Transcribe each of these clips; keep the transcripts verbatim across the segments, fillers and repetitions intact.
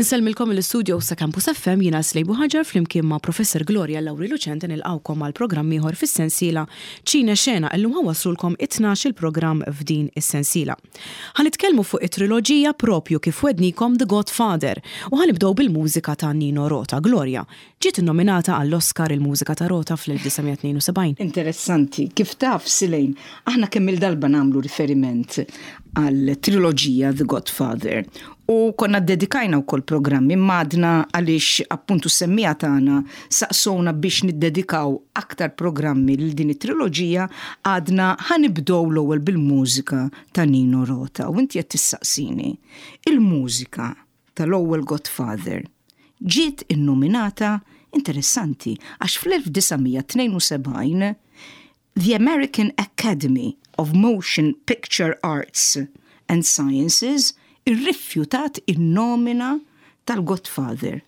Insellmilkom mill-istudio sa' Campus F M, jiena Slej Buħaġar flimkien ma' Professor Gloria Lauri Lucente nilqgħukom għal programm ieħor fis-sensiela Ċine Xena. Illum ħa nwasslulkom it-tnax il-programm f'din is-sensiela. Ħa nitkellmu fuq it-triloġija, propju kif wegħedniekom, The Godfather, u ħa nibdew bil-mużika ta' Nino Rota. Gloria, ġiet nominata għall-Oscar il-mużika ta' Rota fl-elf disa' mija tnejn u sebgħin. Interessanti, kif taf, Silejn, aħna kemm il-darba nagħmlu riferiment għal triloġija The Godfather u konna dedikajna wkoll programmi madna għaliex appuntu semmiegħa tagħna saqsowna biex niddedikaw aktar programmi lil din it-triloġija. Għadna ħa nibdew l-ewwel bil-mużika ta' Nino Rota u inti qed tissaqsini il-mużika tal-ewwel Godfather ġiet innominata. Interessanti, għax fl-elf disa' mija tnejn u sebgħin the American Academy of Motion Picture Arts and Sciences irrifjutat in-nomina tal-Godfather.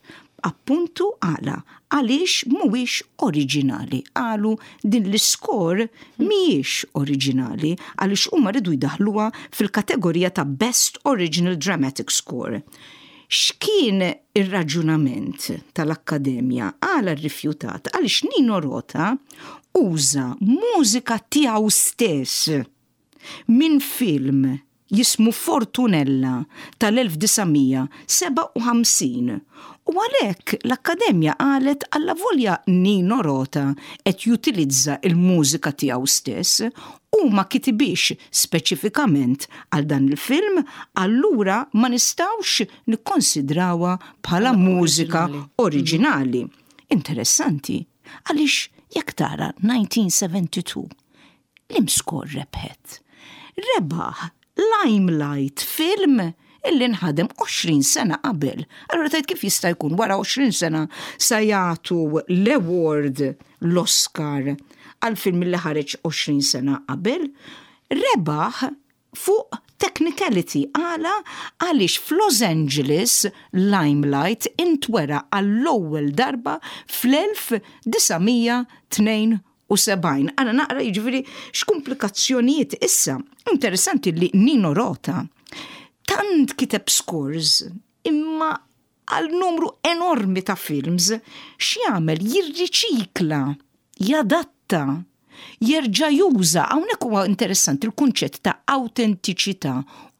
Appuntu għala, għaliex mhuwiex oriġinali. Qalu din l-score mhijiex oriġinali għaliex huma rridu jdaħluha fil-kategorija ta' Best Original Dramatic Score. X'kien ir-raġunament tal-Akkademja għala rrifjutat? Għaliex Nino Rota uża mużika tiegħu stess minn film jismu Fortunella tal-elf disa' mija sebgħa u ħamsin. U għalhekk l-Akkademja qalet allavolja Nino Rota qed jutilizza il-mużika tiegħu stess u ma kitibix speċifikament għal dan il-film, allura ma nistgħux nikkonsidrawha bħala mużika oriġinali. Interessanti, għaliex jekk tara elf disa' mija sebgħa u tnejn liema score rebħet? Rebaħ Limelight, film illi nħadem għoxrin sena qabel. Allora tgħid kif jista' jkun wara għoxrin sena sa jagħtu l-award, l-Oscar, għal film li ħareġ għoxrin sena qabel? Rebaħ fuq technicality. Għala? Għaliex f'Los Angeles Limelight intwera għall-ewwel darba fl-elf disa' mija tnejn u sebgħin. Għana naqra jiġifieri x'komplikazzjonijiet issa. Interessanti li Nino Rota tant kiteb scores imma għal numru enormi ta' films. X'jagħmel? Jirriċikla, jadatta, jerġa' juża. Hawnhekk huwa interessanti il-kunċett ta' autentiċità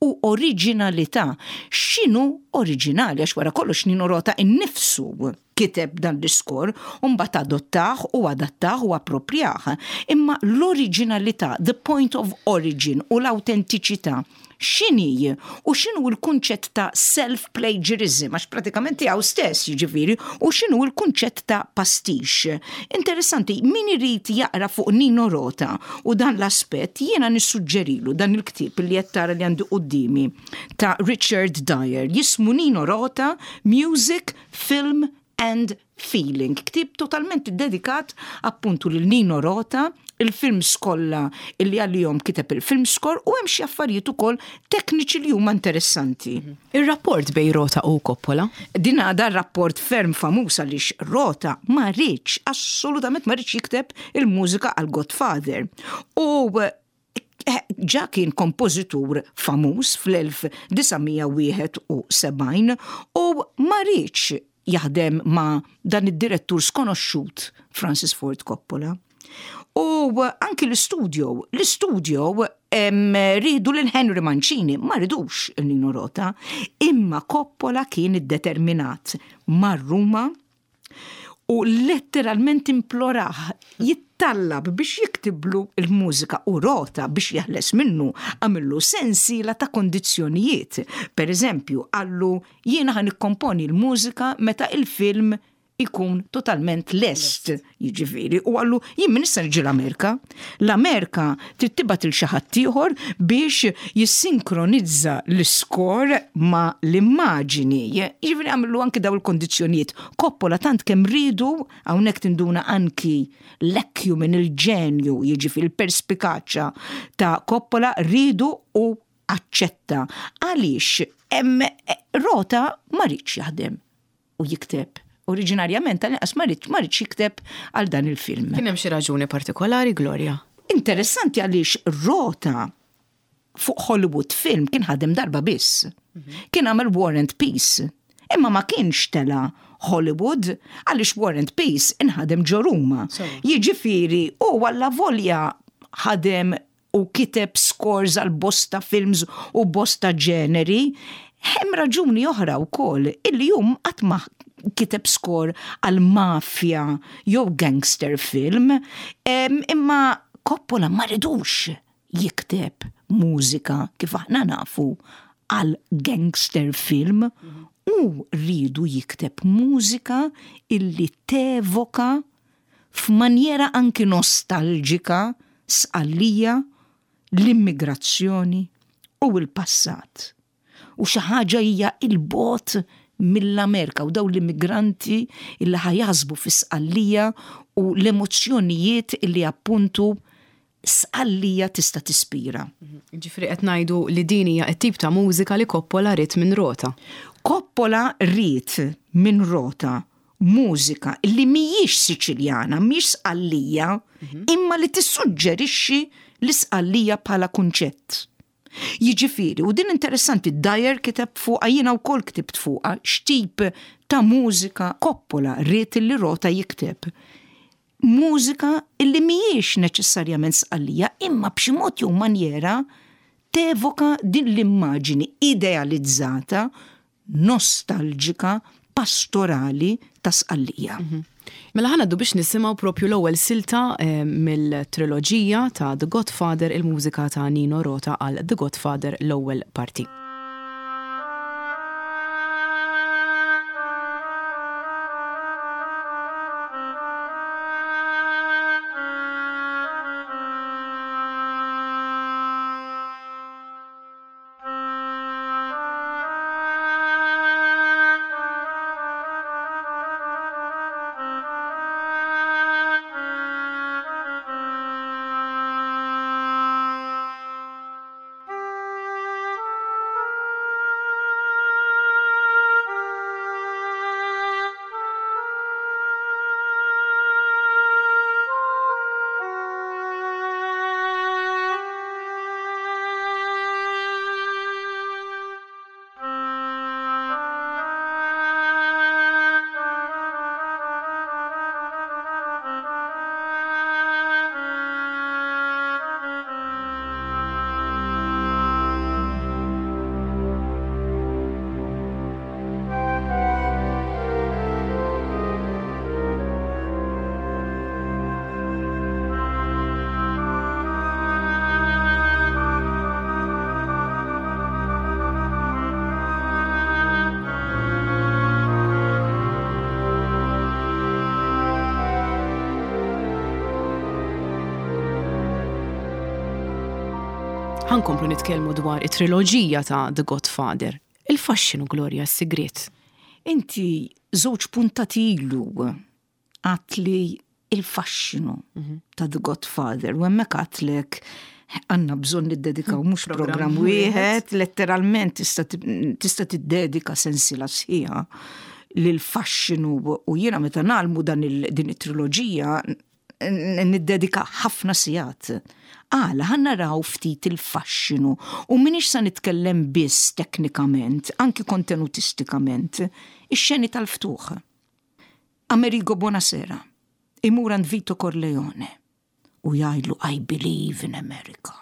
u oriġinalità. X'inhu oriġinali? Għax wara kollox Nino Rota innifsu kiteb dan l-iskor u mbagħad adottah u adattah u approprjah. Imma l-oriġinalità, the point of origin, u l-autentiċità x'inhi u x'inhu l-kunċett ta' self-plagiarism, għax pratikament tiegħu stess jiġifieri, u x'inhu l-kunċett ta' pastiche? Interessanti, min irid jaqra fuq Nino Rota u dan l-aspett, jiena nissuġġerilu dan il-ktieb li qed tara li għandi quddiemi ta' Richard Dyer, jismu Nino Rota, Music, Film and Feeling. Ktieb totalment dedikat appuntu lil Nino Rota, il-films kollha illi għalihom kiteb il-film score, u hemm xi affarijiet ukoll tekniċi li huma interessanti. Ir-rapport bejn Rota u Coppola? Din għada rapport ferm famuż għaliex Rota ma riedx, assolutament ma riedx jikteb il-mużika għal Godfather. U eh, ġa kien kompożitur famuż fl-elf disa' mija wieħed u sebgħin u ma riedx jaħdem ma' dan id-direttur skonoxxut Francis Ford Coppola. U anki l-studio, l-studio riedu lil Henry Mancini, ma ridux il-Nino Rota, imma Coppola kien iddeterminat, mar Ruma u letteralment implorah, jittallab biex jiktiblu il-mużika, u Rota biex jeħles minnu għamillu sensiela ta' kondizzjonijiet. Per eżempju, qallu: "Jiena ħa nikkomponi l-mużika meta il-film ikun totalment lest", jiġifieri, u qallu: "Jien minn issa niġi l-Amerika. L-Amerika trid tibgħat lil xi ħadd ieħor biex jissinkronizza l-iskor ma' l-immaġini." Jiġifieri għamillu anki daw il-kondizzjonijiet. Coppola tant kemm riedu, hawnhekk tinduna anki l-acumen, il-ġenju, jiġifieri il-perspikaċja ta' Coppola, riedu u aċċetta. Għaliex hemm Rota ma riedx jaħdem u jikteb. Oriġinarjament tal-inqas ma riedx ma riedx jikteb għal dan il-film. Kien hemm xi raġuni partikolari, Gloria? Interessanti għaliex Rota fuq Hollywood film kien ħadem darba biss. Kien għamel War and Peace. Imma ma kienx tela Hollywood, għaliex War and Peace inħadem ġo Ruma. Jiġifieri, u għallavolja ħadem u kiteb scores għal bosta films u bosta ġeneri, hemm raġuni oħra wkoll illi jum qatt ma kiteb score għal mafja jew gangster film, imma Coppola ma ridux jikteb mużika, kif aħna nafu, għal gangster film, u rridu jikteb mużika illi tevoka f'manjera anki nostalġika Sqallija, l-immigrazzjoni u l-passat. U xi ħaġa hija il-bot mill-Amerika u daw l-immigranti illi ħa jaħsbu fi Sqallija u l-emozzjonijiet illi appuntu Sqallija tista' tispira. Ġifieri qed ngħidu li din hija t-tip ta' mużika li Coppola ried minn Rota. Coppola ried minn Rota mużika li mhijiex Siċiljana, mhijiex Sqallija, imma li tissuġġerixxi l-Isqallija bħala kunċett. Jiġifieri, u din interessanti, Dyer kiteb fuqha, jiena wkoll ktibt fuqha, x'tip ta' mużika Coppola ried li Rota jikteb. Mużika illi mhijiex neċessarjament Sqallija, imma b'xi mod jew manjera tevoka din l-immaġini idealizzata, nostalġika, pastorali ta' Sqallija. Mela ħa ngħaddu biex nisimgħu propju l-ewwel silta eh, mill-triloġija ta' The Godfather, il-mużika ta' Nino Rota għal The Godfather, l-ewwel parti. Ħa nkomplu nitkellmu dwar it-triloġija ta' The Godfather. Il-faxxinu, Gloria, s-sigriet. Inti żewġ puntati ilu għedtli il-faxxinu ta' The Godfather u hemmhekk għedtlek għandna bżonn niddedikaw mhux programm wieħed, letteralment tista' tiddedika sensila sħiħa lil faxxinu, u jiena meta nagħmlu dan din it-triloġija niddedika ħafna sigħat. Għala, ħa naraw ftit il-faxxinu u m'iniex sa nitkellem biss teknikament, anki kontenutistikament, ix-xeni tal-ftuħ. Amerigo Bonasera imur għand Vito Corleone u jgħidlu "I believe in America".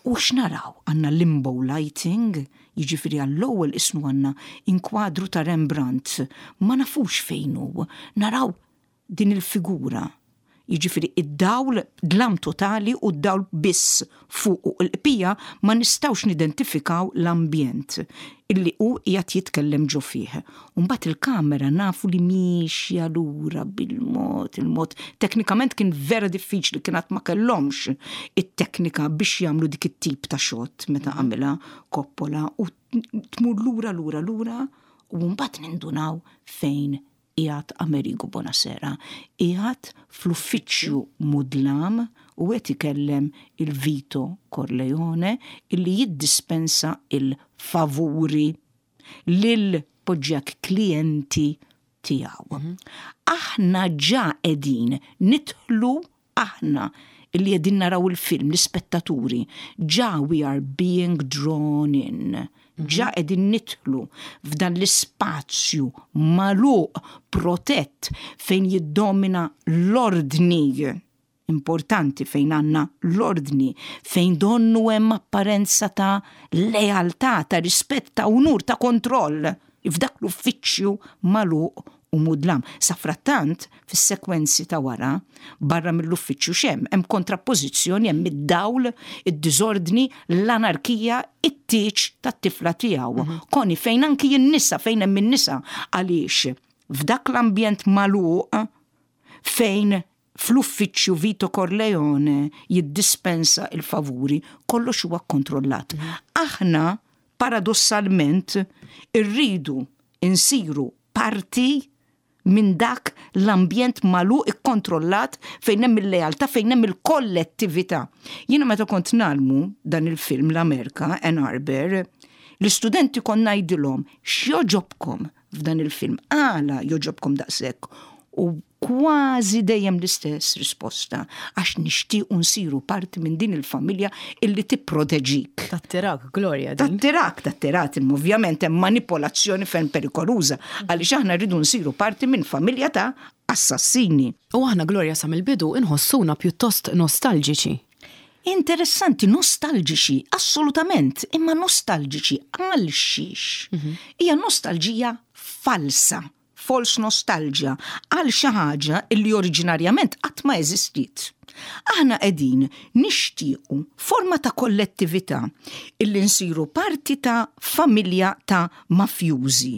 U x'naraw? Għandna limbo lighting, jiġifieri għall-ewwel ismu għandna inkwadru ta' Rembrandt, ma nafux fejn hu, naraw din il-figura. Jiġifieri id-dawl, dlam totali u d-dawl biss fuq u l-qpija ma nistgħux nidentifikaw l-ambjent illi hu qiegħed jitkellem ġo fih. Mbagħad il-kamera nafu li miexja lura bil-mod, il-mod. Teknikament kien vera diffiċli, kien ma kellhomx it-teknika biex jagħmlu dik it-tip ta' shot meta għamilha Coppola, u tmur lura, lura, lura u mbagħad nindunaw fejn qiegħed Amerigo Bonasera. Qiegħed fl-uffiċċju mudlam u qed ikellem il-Vito Corleone illi jiddispensa il-favuri lil poġġjak klijenti tiegħu. Aħna ġa qegħdin nidħlu, aħna illi qegħdin naraw il-film, l-ispettaturi, ġa we are being drawn in Ġa qegħdin nidħlu f'dan l-ispazju magħluq, protett, fejn jiddomina l-ordni, importanti, fejn għandna l-ordni, fejn donnu hemm apparenza ta' lealtà, ta' rispett, ta' unur, ta' kontroll, f'dak l-uffiċċju magħluq u mudlam. Safrattant, fis-sekwenzi ta' wara, barra mill-uffiċċju x'hemm? Hemm kontrappożizzjoni, hemm id-dawl, id-diżordni, l-anarkija, it-tieġ tat-tifla tiegħu. Koni fejn anki n-nisa, fejn hemm in-nisa, għaliex f'dak l-ambjent magħluq fejn fl-uffiċċju Vito Corleone jiddispensa il-favuri, kollox huwa kontrollat. Aħna paradossalment irridu insiru parti minn dak l-ambjent magħluq, ikkontrollat, fejn hemm il-lealtà, fejn hemm il-kollettività. Jiena meta kont ngħallmu dan il-film l-Amerika, Ann Arbor, l-istudenti kont ngħidilhom: "X'joġobkom f'dan il-film? Għala joġobkom daqshekk?" U kważi dejjem l-istess risposta: "Għax nixtiequ nsiru parti minn din il-familja illi tipproteġik." Tattirak, Gloria, din. Tattirak, tattirak, imma ovvjament hemm manipolazzjoni ferm perikoluża, għaliex aħna rridu nsiru parti minn familja ta' assassini. U aħna, Gloria, sa mill-bidu inħossuna pjuttost nostalġiċi. Interessanti, nostalġiċi, assolutament, imma nostalġiċi għal xiex? Hija nostalġija falsa, false nostalgia, għal xi ħaġa illi oriġinarjament qatt ma eżistiet. Aħna qegħdin nixtiequ forma ta' kollettività, illi nsiru parti ta' familja ta' mafjużi.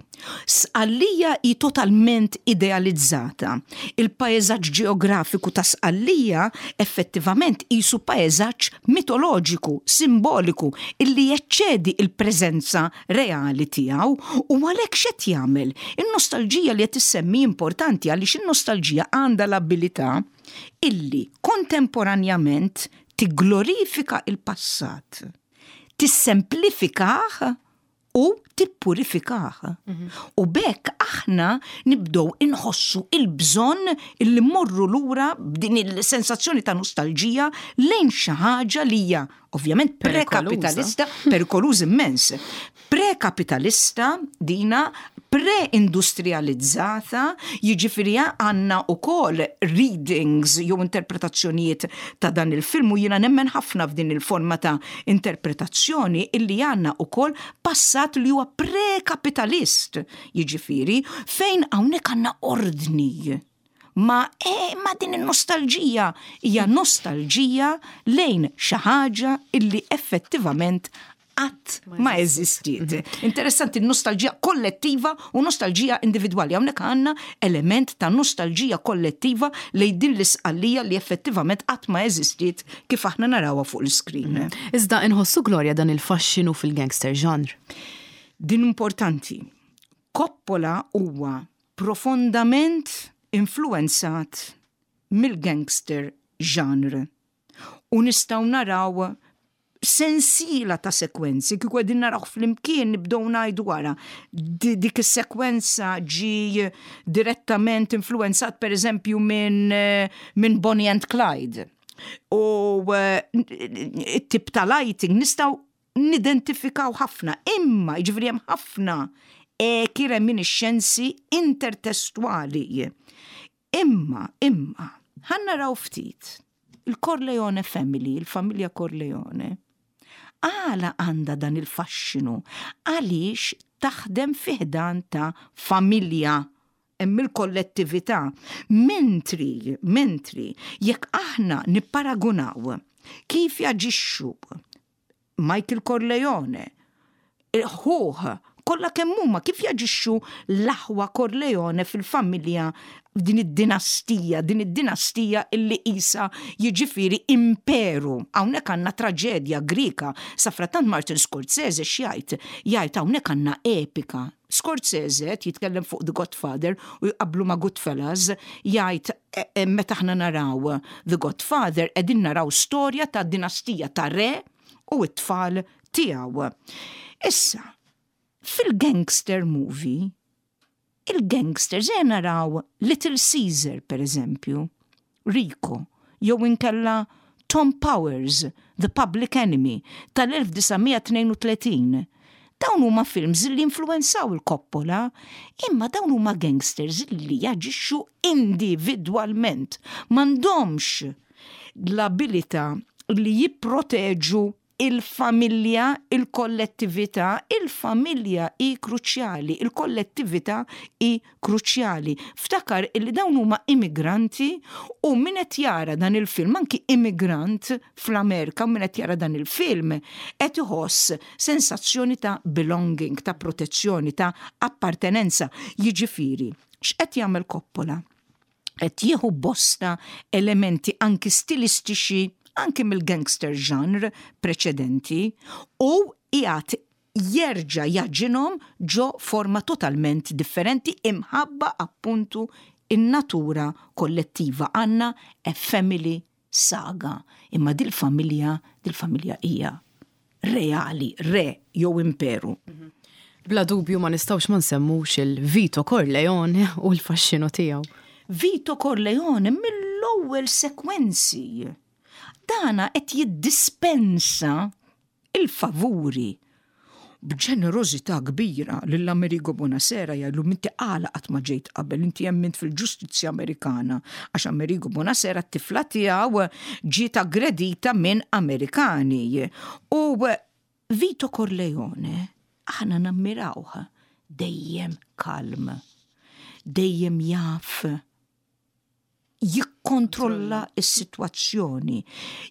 Sqallija hi totalment idealizzata. Il-paesaġġ ġeografiku ta' Sqallija effettivament qisu paesaġġ mitoloġiku, simboliku, illi jeċċedi il-preżenza reali tiegħu, u għalhekk x'qed jagħmel? In-nostalġija li qed issemmi importanti għaliex in-nostalġija għandha l-abilità illi kontemporanjament tigglorifika il-passat, tissemplifikah u tippurifikah. U b'hekk aħna nibdow inħossu il-bżonn illi morru lura b'din il-sensazzjoni ta' nostalġija lejn xi ħaġa li hija ovvjament prekapitalista, perikoluż immens. Prekapitalista dina, pre-industrializzata, jiġifieri għandna ukoll readings jew interpretazzjonijiet ta' dan il-film, u jiena nemmen ħafna f'din il-forma ta' interpretazzjoni, illi għandna ukoll passat li huwa prekapitalist, jiġifieri fejn hawnhekk għandna ordni. Ma, e, ma din il-nostalġija hija nostalġija lejn xi ħaġa illi effettivament qatt ma eżistiet. Interessanti nostalġija kollettiva u nostalġija individwali. Hawnhekk għandna element ta' nostalġija kollettiva lejn din l-Isqallija li effettivament qatt ma eżistiet kif aħna narawha fuq l-iskrin. Iżda inħossu, Gloria, dan il-faxxinu fil-gangster genre. Din importanti. Coppola huwa profondament influenzat mill-gangster genre. U nistgħu naraw sensiela ta' sekwenzi, kieku qegħdin naraw flimkien nibdew ngħidu wara. Dik is-sekwenza ġi direttament influenzat, per eżempju, minn min Bonnie and Clyde. U it-tip ta' lighting nistgħu nidentifikaw ħafna, imma jiġifieri hemm ħafna eki, reminiscenzi intertestuali. Imma, imma, ħa naraw ftit il-Corleone Family, il-familja Corleone, għala għandha dan il-faxxinu? Għaliex taħdem fi ħdan ta' familja, hemm il-kollettività. Mentri, mentri, jekk aħna nipparagunaw kif jaġixxu Michael Corleone, ħuh, kollha kemm huma, kif jaġixxu l-aħwa Corleone fil-familja, din id-dinastija, din id-dinastija illi isa jiġifieri imperu. Hawnhekk għandna traġedja Grika. Safrattant Martin Scorsese x'jgħid? Jgħid hawnhekk għandna epika. Scorsese jitkellem fuq The Godfather u jqablu ma' Goodfellas, jgħid e, e, meta aħna naraw The Godfather qegħdin naraw storja ta' dinastija ta' re u t-tfal tiegħu. Issa, fil-gangster movie, il-gangsters, se naraw Little Caesar, per eżempju, Rico, jew inkella Tom Powers, The Public Enemy, tal-elf disa' mija tnejn u tletin. Dawn huma films li influenzaw il-Coppola, imma dawn huma gangsters li jaġixxu individwalment. M'għandhomx l-abilità li jipproteġu il-familja, il-kollettività, il-familja hi kruċjali, il-kollettività hi kruċjali. Ftakar illi dawn huma immigranti u min qed jara dan il-film, anki immigrant fl-Amerika, min qed jara dan il-film, qed iħoss sensazzjoni ta' belonging, ta' protezzjoni, ta' appartenenza. Jiġifieri, x'qed jagħmel Coppola? Qed jieħu bosta elementi anki stilistiċi anki mill-gangster genre preċedenti u qiegħed jerġa' jagħġinhom ġo forma totalment differenti imħabba appuntu in-natura kollettiva. Għandna a family saga. Imma dil-familja, dil-familja hija reali, re jew imperu. Bla dubju ma nistgħux ma nsemmux il-Vito Corleone u l-faxxinu tiegħu. Vito Corleone mill-ewwel sekwenzi dana qed jiddispensa il-favuri b'ġenerożità kbira lil Amerigo Bonasera. Jgħidlu: "Inti għala qatt ma ġejt qabel? Inti jemmint fil-ġustizzja Amerikana", għax Amerigo Bonasera, t-tifla tiegħu ġiet aggredita minn Amerikani. U Vito Corleone aħna nammirawh, dejjem kalm, dejjem jaf jikkontrolla s-sitwazzjoni.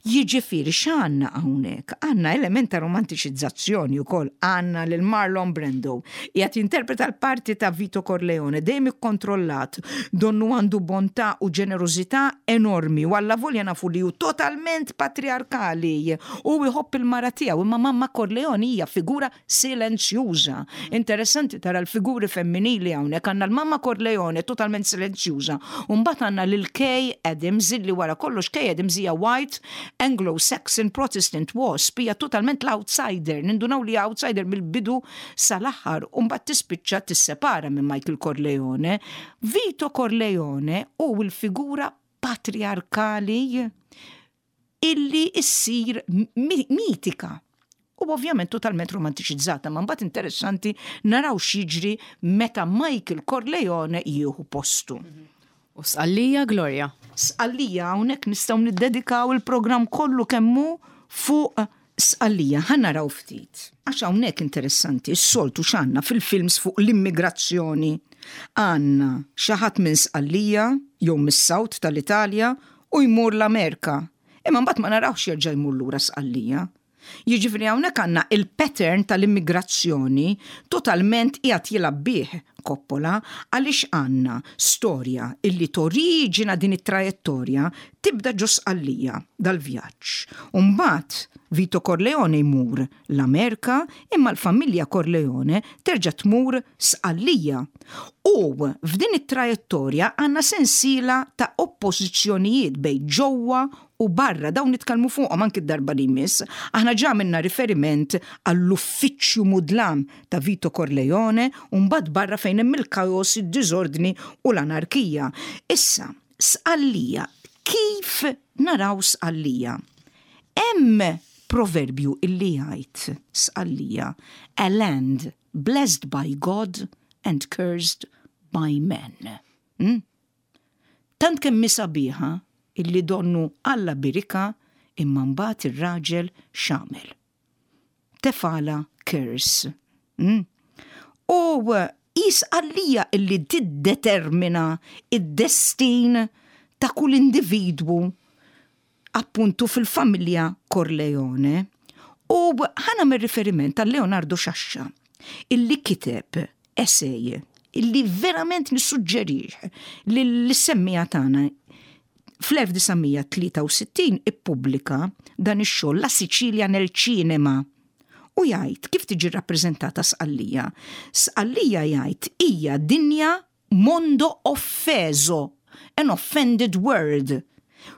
Jiġifieri x'għandna hawnhekk? Għandna element ta' romantiċizzazzjoni wkoll, għandna lil Marlon Brando qiegħed jinterpreta l-parti ta' Vito Corleone, dejjem ikkontrollat, donnu għandu bontà u ġenerożità enormi, u alla volja nafu li hu totalment patriarkali u jħobb il-mara tiegħu, imma mamma Corleone hija figura silenzjuża. Interessanti tara l-figuri femminili hawnhekk. Għandna l-mamma Corleone totalment silenzjuża, u mbagħad għandna lil Kay Adams, li wara kollox Kay Adams hija white Anglo-Saxon Protestant wasp, hija totalment l-outsider, nindunaw li outsider mill-bidu sal-aħħar, u mbagħad tispiċċa tissepara minn Michael Corleone. Vito Corleone u l-figura patriarkali illi issir mitika u ovvjament totalment romantiċizzata, ma mbagħad interessanti naraw x'jiġri meta Michael Corleone jieħu postu. U Sqallija, Gloria. Sqallija, hawnhekk nistgħu niddedikaw il-programm kollu kemmu fuq Sqallija. Ħa naraw ftit. Għax hawnhekk interessanti, s-soltu x'għandna fil-films fuq l-immigrazzjoni? Għandna xi ħadd minn Sqallija jew mis-South tal-Italja u jmur l-Amerika. Imma mbagħad ma narawx jerġa' jmur lura Sqallija. Jiġifieri hawnhekk għandna il-pattern tal-immigrazzjoni totalment qiegħed jilgħab bih Coppola, għaliex għandna storja illi toriġina din it-trajettorja tibda ġo Sqallija dal-vjaġġ. Umbagħad Vito Corleone jmur l-Amerika, imma l-familja Corleone terġa' tmur Sqallija. U f'din it-trajettorja għandna sensiela ta' oppożizzjonijiet bejn ġewwa u barra. Dawn nitkellmu fuqhom anki d-darba li jmiss. Aħna ġa minna riferiment għall-uffiċċju mudlam ta' Vito Corleone u mbagħad barra fejn hemm il-kaos, id-diżordni u l-anarkija. Issa, Sqallija, kif naraw Sqallija? Hemm proverbju illi jgħid Sqallija, "A land blessed by God and cursed by men." Hmm? Tant kemm sabiħa illi donnu Alla berikha, imma mbagħad ir-raġel x'għamel? Tefagħlha curse. Mm? U Sqallija illi tiddetermina id-destin ta' kull individwu appuntu fil-familja Corleone. U ħa nagħmel riferiment tal Leonardo Sciascia, illi kiteb essay illi verament nissuġġerih lis-semmiegħa tagħna. Fl-elf disa' mija tlieta u sittin ippubblika dan ix-xogħol, La Sicilia nel Cinema. U jgħid kif tiġi rappreżentata Sqallija. Sqallija, jgħid, hija dinja, mondo offeso, an offended world.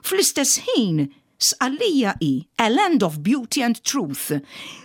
Fl-istess ħin, Sqallija hi a land of beauty and truth.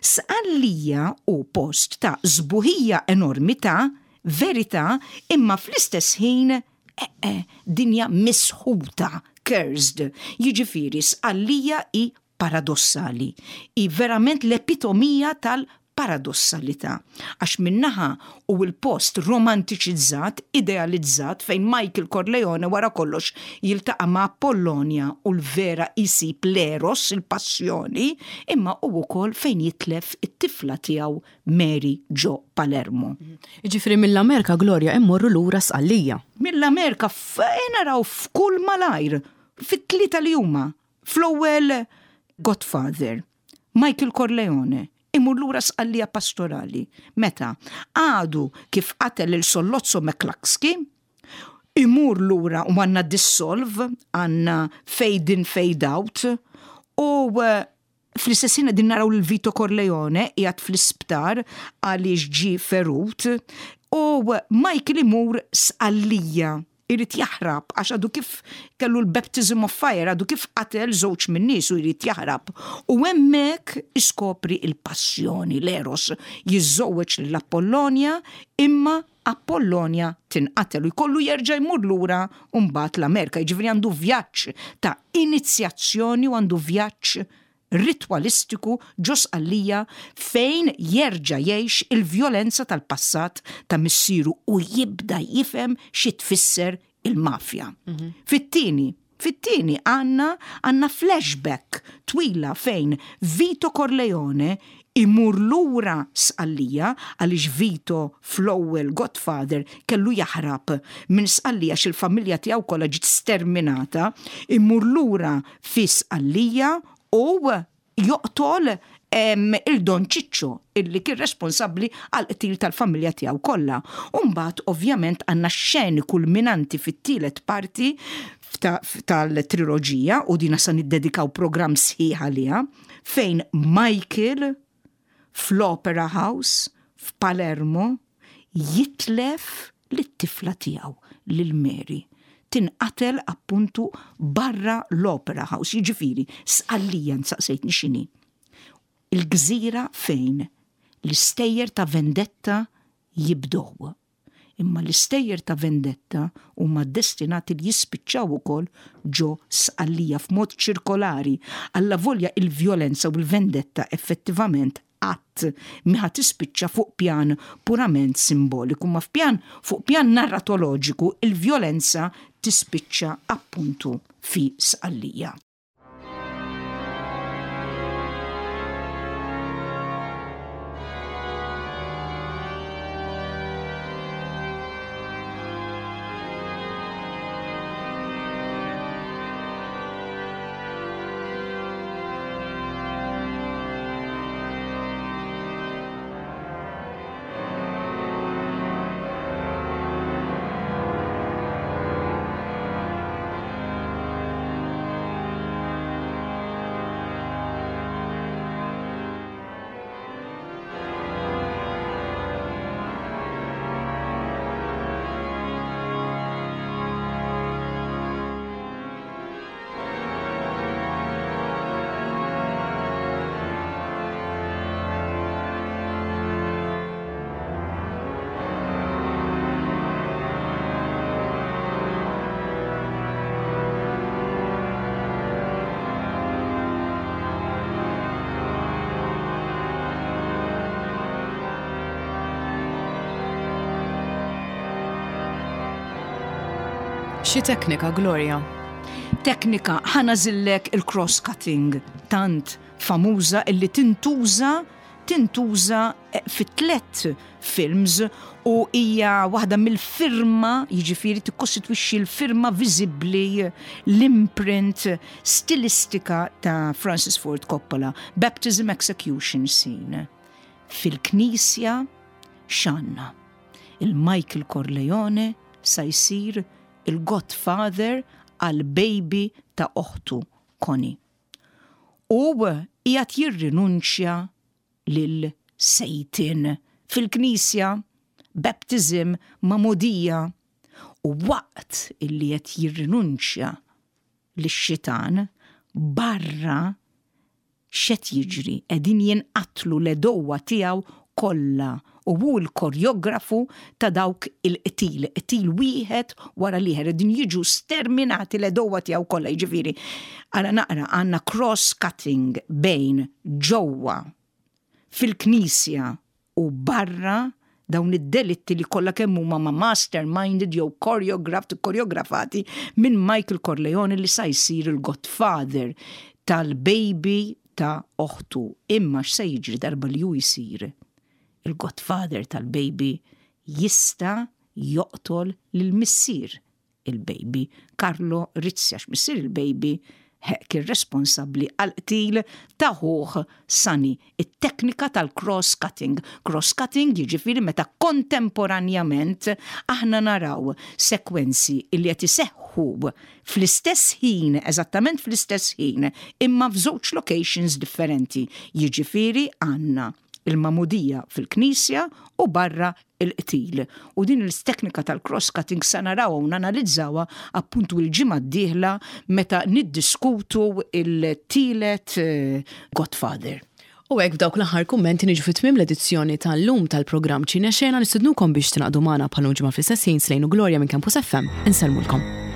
Sqallija hu post ta' sbuħija enormi, ta' verità, imma fl-istess ħin eh, eh, dinja misħuta, cursed. Jiġifieri Sqallija hi paradossali. Hi verament l-epitomija tal paradossalità għax min-naħa hu l-post romantiċizzat, idealizzat fejn Michael Corleone wara kollox jiltaqa' ma' Apollonia u l-vera jsib l-eros, il-passjoni, imma hu wkoll fejn jitlef it-tifla tiegħu Mary ġo Palermo. Jiġifieri mill-Amerika, Gloria, immorru lura Sqallija. Mill-Amerika naraw f'kull malajr, fit-tlieta li huma, fl-ewwel Godfather, Michael Corleone, imur lura Sqallija pastorali. Meta għadu kif qatel lil Sollozzo McCluskey, imur lura u għandna dissolve, għandna fade in, fade out, u eh, fl-istess ħin din naraw l-Vito Corleone qiegħed fl-isptar għaliex ġi ferut u Michael imur Sqallija irid jaħrab għax għadu kif kellu l-baptism of fire, għadu kif qatel żewġ minn nies u jrid jaħrab. U hemmhekk iskopri il-passjoni, l-eros, jiżżewweġ l-Apollonia, imma Apollonia tinqatel u jkollu jerġa' jmur lura mbagħad l-Amerika. Jiġifieri għandu vjaġġ ta' inizjazzjoni u għandu vjaġġ ritwalistiku ġo Sqallija fejn jerġa' jgħix il-vjolenza tal-passat ta' missieru u jibda jifhem xi tfisser il-mafja. Mhm. Fit-tieni, fit-tieni għandna għandna flashback twila fejn Vito Corleone imur lura Sqallija għaliex Vito fl-ewwel Godfather kellu jaħrab minn Sqallija għax il-familja tiegħu kollha ġiet sterminata, imur lura fi Sqallija u joqtol il-Don Ciccio illi kien responsabbli għal qtil tal-familja tiegħu kollha. Umbagħad ovvjament għandna xeni kulminanti fit-tielet parti tal-triloġija u dina sa niddedikaw programm sħiħ għaliha fejn Michael fl-Opera House f'Palermo jitlef lit-tifla tiegħu lil Mary tinqatel appuntu barra l-Opera House. Jiġifieri, Sqallija nsaqsejtni x'inhi. Il-gżira fejn l-istejjer ta' vendetta jibdow. Imma l-istejjer ta' vendetta huma destinati li jispiċċaw ukoll ġo Sqallija f'mod ċirkolari. Allavolja il-vjolenza u l-vendetta effettivament qatt mhi tispiċċa fuq pjan purament simboliku, ma f'pjan fuq pjan narratoloġiku il-vjolenza tispiċċa appuntu fi Sqallija. Xi teknika, Gloria? Teknika, ħa nagħżillek il-cross-cutting, tant famuża illi tintuża tintuża eh, fit tlet films u hija waħda mill-firma, jiġifieri tikkostitwixxi l-firma viżibbli, l-imprint stilistika ta' Francis Ford Coppola, Baptism Execution Scene. Fil-knisja x'għandna? Il-Michael Corleone sa jsir il-Godfather għal baby ta' oħtu Connie. U qiegħed jirrinunċja lil Satan fil-knisja, baptism, magħmudija, u waqt illi qed jirrinunċja lix-xitan barra x'qed jiġri, qegħdin jinqatlu l-għedewwa tiegħu kollha u hu l-koreografu ta' dawk il-qtil, qtil wieħed wara l-ieħor, qegħdin jiġu sterminati l-għedewwa tiegħu kollha, jiġifieri. Ara naqra għandna cross-cutting bejn ġewwa Fil-knisja u barra, dawn id-delitti li kollha kemm huma ma masterminded jew choreographed, koreografati minn Michael Corleone, li sa jsir il-godfather tal-baby ta' oħtu. Imma x'se jiġri darba li hu jsir il-godfather tal-baby? Jista' joqtol lil missier il-baby, Carlo Rizzi, għax missier il-baby kien responsabbli għal qtil ta' ħuh Sani. It-teknika tal-cross-cutting. Cross-cutting jiġifieri meta kontemporanjament aħna naraw sekwenzi li qed iseħħu fl-istess ħin, eżattament fl-istess ħin, imma f'żewġ locations differenti. Jiġifieri għandna il-magħmudija fil-knisja u barra il-qtil. U din il-teknika tal-cross-cutting sa naraw u nanalizzawa appuntu il-ġimgħa d-dieħla meta niddiskutu il-tielet eh, Godfather. U hekk, b'dawk l-aħħar kummenti, niġu fi tmiem l-edizzjoni tal-lum tal-programm Ċine Xena. Nistednukom biex tingħaqdu magħna bħal ġimgħa fl-istess ħin. Slejnu Gloria minn Campus F M. Insellmulkom.